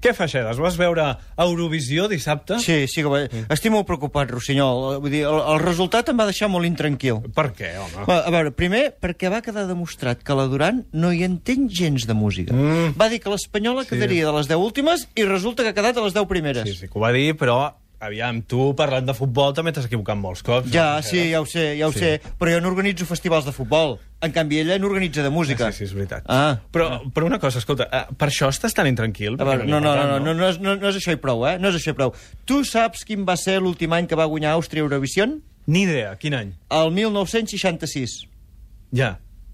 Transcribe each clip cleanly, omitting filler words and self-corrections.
Què, Feixedes? Vas veure Eurovisió dissabte? Sí, que va. Estic molt preocupat, Rossinyol. Vull dir, el resultat em va deixar molt intranquil. Per què, home? A veure, primer, perquè va quedar demostrat que la Duran no hi entén gens de música. Va dir que l'espanyola quedaria de les 10 últimes i resulta que ha quedat a les 10 primeres. Sí, que ho va dir, però... Aviam, tu, parlant de futbol, també t'has equivocat molts cops. Ja, sí, ja ho sé, però jo no organitzo festivals de futbol. En canvi, ella n'organitza de música. Sí, és veritat. Però una cosa, escolta, per això estàs tan intranquil? A veure, no és això i prou, No és això i prou. Tu saps quin va ser l'últim any que va guanyar Àustria Eurovision? Ni idea, quin any? El 1966. Ja.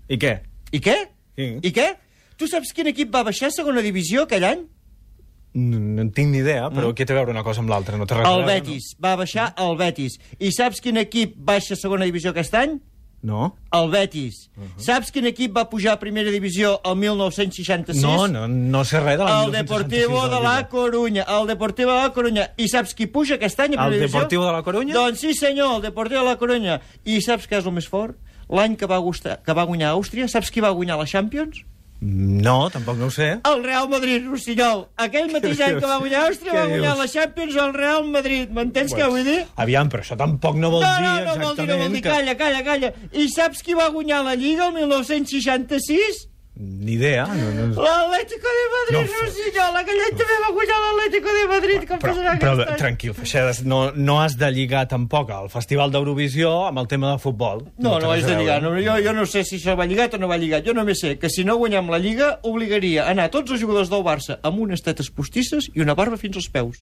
I què? I què? Sí. I què? Tu saps quin equip va baixar a segona divisió aquell any? No en tinc ni idea, però què té a veure una cosa amb l'altra? No té res a veure, el Betis. Va baixar el Betis. I saps quin equip baixa a segona divisió aquest any? No. El Betis. Saps quin equip va pujar a primera divisió el 1966? No sé res de la 1966. El Deportivo de la Coruña. El Deportivo de la Coruña. I saps qui puja aquest any a primera divisió? El Deportivo de la Coruña? Doncs sí, senyor, el Deportivo de la Coruña. I saps què és el més fort? L'any que va guanyar Àustria, saps qui va guanyar la Champions? No, tampoc no ho sé. El Real Madrid, Rossinyol. Aquell mateix any que va guanyar Àustria va guanyar la Champions el Real Madrid. M'entens què vull dir? Aviam, però això tampoc no vol dir exactament... No vol dir. Calla. I saps qui va guanyar la Lliga el 1966? Ni idea. L'Atlético de Madrid, Rossinyol. Aquell any també va guanyar l'Atlético de Madrid. Però tranquil, Feixedes, no has de lligar tampoc el Festival d'Eurovisió amb el tema de futbol. No has de lligar. Jo no sé si això va lligat o no va lligat. Jo només sé que si no guanyem la Lliga obligaria a anar tots els jugadors del Barça amb unes tetes postisses i una barba fins als peus.